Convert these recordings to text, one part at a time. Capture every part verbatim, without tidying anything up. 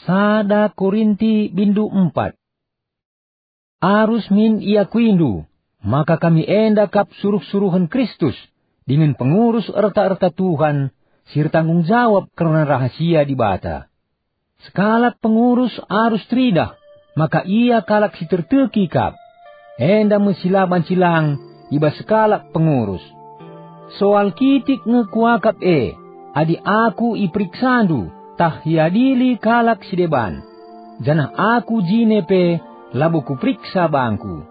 Sada Korinti bindu empat. Arus min iakuindu, maka kami enda kap suruh-suruhen Kristus, dingen pengurus erta-erta Tuhan, si ertanggung jawab kerna rahasia Dibata. Sekalak pengurus arus teridah, maka ia kalak si terteki kap. Enda me si la banci lang i bas sekalak pengurus. Soal kitik nge kuakap e, adi aku iperiksandu, tah iadili kalak si deban, janah aku jine pe labo kuperiksa bangku.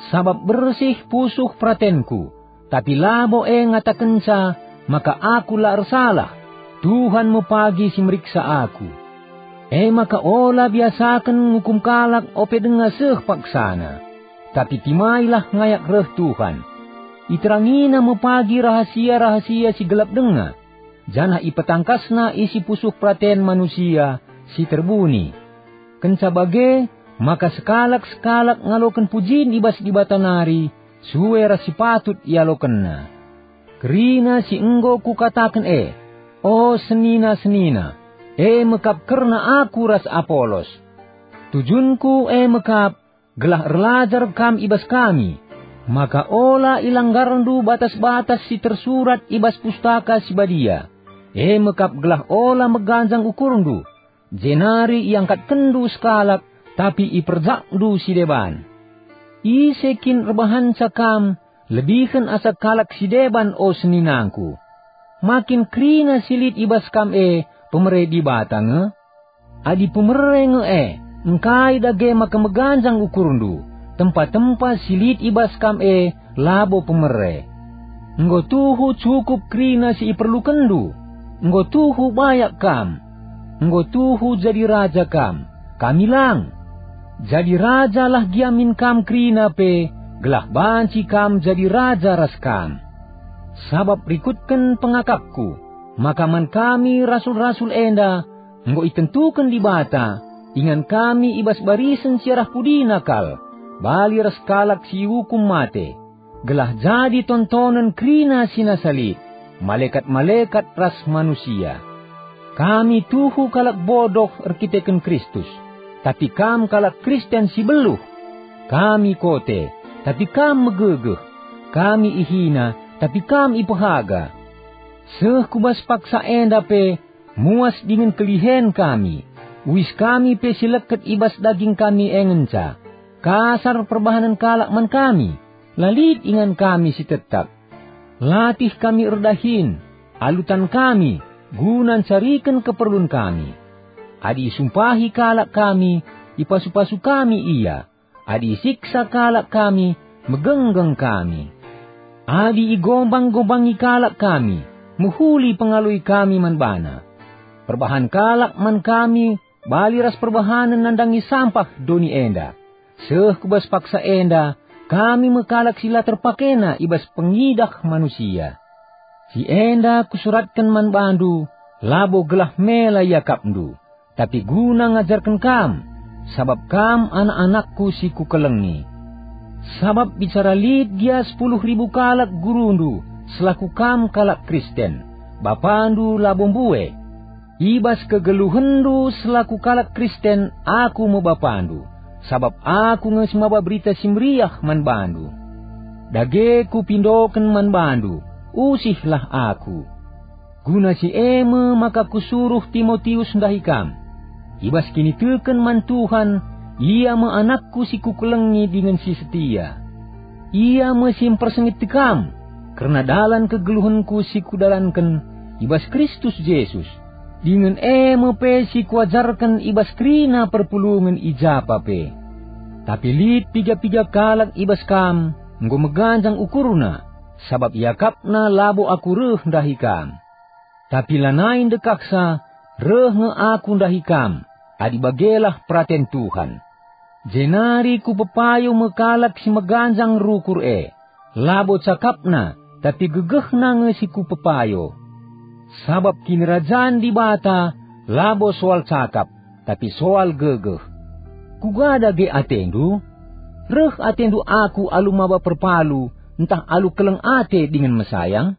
Sabap bersih pusuh peratenku, tapi labo e ngatakenca maka aku la ersalah, Tuhan me pagi si meriksa aku. E maka ola biasaken ngukum kalak ope denga seh paksana, tapi timailah ngayak reh Tuhan. IterangIna me pagi rahasia-rahasia si gelap denga, janah ipetangkasNa isi pusuh peraten manusia si terbuni. Kenca bage, maka sekalak-sekalak ngaloken pujin i bas Dibata nari, sue ras si patut ialokenna. Kerina si enggo kukataken e, o senina-senina, e me kap kerna aku ras Apolos. Tujunku e me kap, gelah erlajar kam i bas kami, maka ola ilanggarndu batas-batas si tersurat i bas Pustaka Si Badia, e me kap gelah ola meganjang ukurndu, jenari iangkatkenndu sekalak, tapi iperjakndu si deban. Ise kin erbahanca kam lebihen asa kalak si deban, o seninangku? Ma kin kerina si lit i bas kam e pemere Dibata nge? Adi pemere nge e, engkai dage maka meganjang ukurndu, tempa-tempa si lit i bas kam e labo pemere? Enggo tuhu cukup kerina si iperlukenndu, enggo tuhu bayak kam, enggo tuhu jadi raja kam, kami lang. Jadi rajalah gia min kam kerina pe, gelah banci kam jadi raja ras kam. Sabap rikutken pengakapku, maka man kami rasul-rasul enda enggo itentuken Dibata, ingan kami i bas barisen si arah pudina kal, bali ras kalak si iukum mate, gelah jadi tontonen kerina si nasa lit, malekat-malekat ras manusia. Kami tuhu kalak bodoh erkiteken Kristus, tapi kam kalak Kristen si beluh. Kami kote, tapi kam megegeh. Kami ihina, tapi kam ipehaga. Seh ku bas paksa enda pe, muas dingen kelihen kami. Uis kami pe si leket i bas daging kami e ngenca. Kasar perbahanen kalak man kami, la lit ingan kami si tetap. Latih kami erdahin, alu tan kami, guna ncariken keperlun kami. Adi isumpahi kalak kami, ipasu-pasu kami ia. Adi isiksa kalak kami, megenggeng kami. Adi igombang-gombangi kalak kami, mehuli pengaloi kami man bana. Perbahan kalak man kami bali ras perbahanen nandangi sampah doni enda. Seh ku bas paksa enda, kami me kalak si la terpakena i bas pengidah manusia. Si enda kusuratken man bandu, labo gelah mela iakapndu, tapi guna ngajarken kam, sabap kam anak-anakku si kukelengi. Sabap bicara lit gia sepuluh ribu kalak gurundu selaku kam kalak Kristen, bapandu labo mbue. I bas kegeluhenndu selaku kalak Kristen aku me bapandu, sabap aku nge si maba Berita Si Meriah man bandu. Dage kupindoken man bandu, usihlah aku. Guna si e me maka kusuruh Timotius ndahi kam. I bas kiniteken man Tuhan, ia me anakku si kukelengi dingen si setia. Ia me si mpersingeti kam kerna dalan kegeluhenku si kudalanken i bas Kristus Jesus, dingen e me pe si kuajarken i bas kerina perpulungen i japa pe. Tapi lit piga-piga kalak i bas kam enggo meganjang ukurna, sabap iakapna labo aku reh ndahi kam. Tapi lanai ndekahsa, reh nge aku ndahi kam, adi bagelah peraten Tuhan. Jenari kupepayo me kalak si meganjang rukur e, labo cakapna, tapi gegehna nge si kupepayo. Sabap Kinirajan Dibata labo soal cakap, tapi soal gegeh. Kuga dage atendu? Reh atendu aku alu maba perpalu, ntah alu keleng ate dingen mesayang?